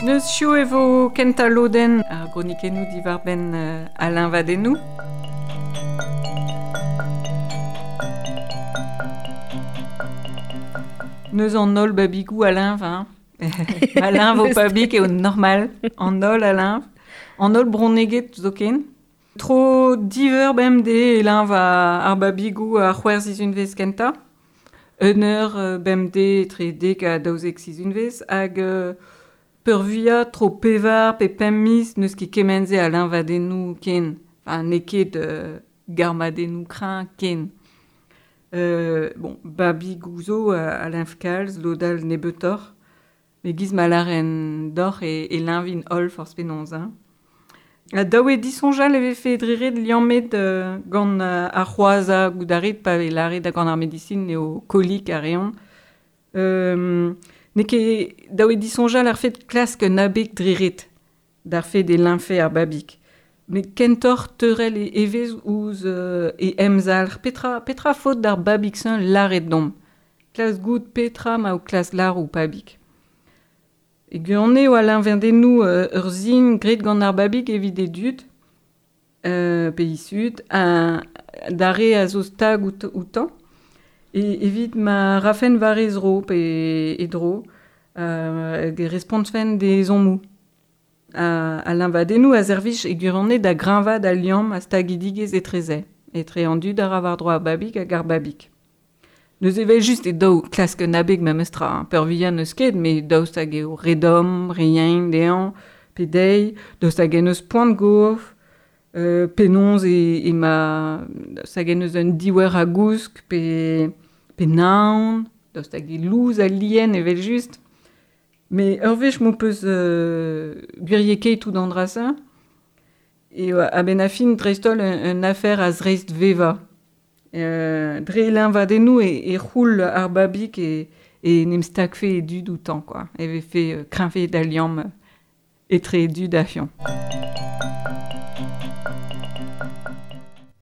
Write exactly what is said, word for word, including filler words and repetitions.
Neus chou e vo kenta loden ar gronikennou diwar ben uh, Alain Vadenou. Neus an ol babigou Alain, hein. Alain vo pabik eo normal. An ol Alain. An ol broneget zoken. Tro diver bemde Alain va ar babigou ar c'hwerz izunvez kenta. Un eur bemde tre dek a daouzek sizunvez hag euh, peurvuia tro pevar pe pemp miz neus ket kemenze a liñvadennoù ken. Enfin, n'eo ket euh, garmadennoù kreñv ken. Euh, bon, babigou zo a, a liñv kalz, lodal nebeutoc'h. Me giz ma laren doc'h e, e liñvin holl forzh penaos, hein. A daou eo disoñjal e vefe dreret liammet euh, gant euh, ar c'hoazañ goudaret pa vez lâret gant ar medisin eo kolik a reont. Euh, n'eo ket daou eo disoñjal ar fet klask un abeg dreret d'ar fet e liñfe ar babig. Met kentoc'h teurel e evezh ouzh euh, e emzalc'h. Petra, petra faot d'ar babig-se lâret domp. Klask goût petra ma o klask lâr ou pabig. E gwirionez eo a liñvadennoù euh, ur sin graet gant ar babig evit e dud, euh, pe he zud, a, d'ar re a zo stag out, outañ, e, evit ma rafen war e zro pe e dro, euh, hag e respontfen d'e ezhommoù. A, a liñvadennoù a servij e gwirionez da greñvaat al liamm a stagidigezh etreze, etre an dud a ra war-dro ar babig hag ar babig. Neus evel just e daou klask un abeg memes tra, hein. Peurvuiañ n'eus ket, met daoust hag eo re domm, re yen dezhañ, pe dezhi, daoust hag en eus poan gof, euh, penaos e, e ma, daoust hag en eus un diouer a gousk, pe, pe naon, daoust hag e louz al lien evel just. Met ur wech m'ho peus euh, gwiriekaet tout an dra-se, e a-benn ar fin dreist-holl un, un afer a zreist vevañ. Euh, dre liñvadennoù e, e c'houl ar babig e, e n'em stagfe e dud outañ, quoi. E vefe euh, kreñvaet al liamm etre e dud ha fiañ.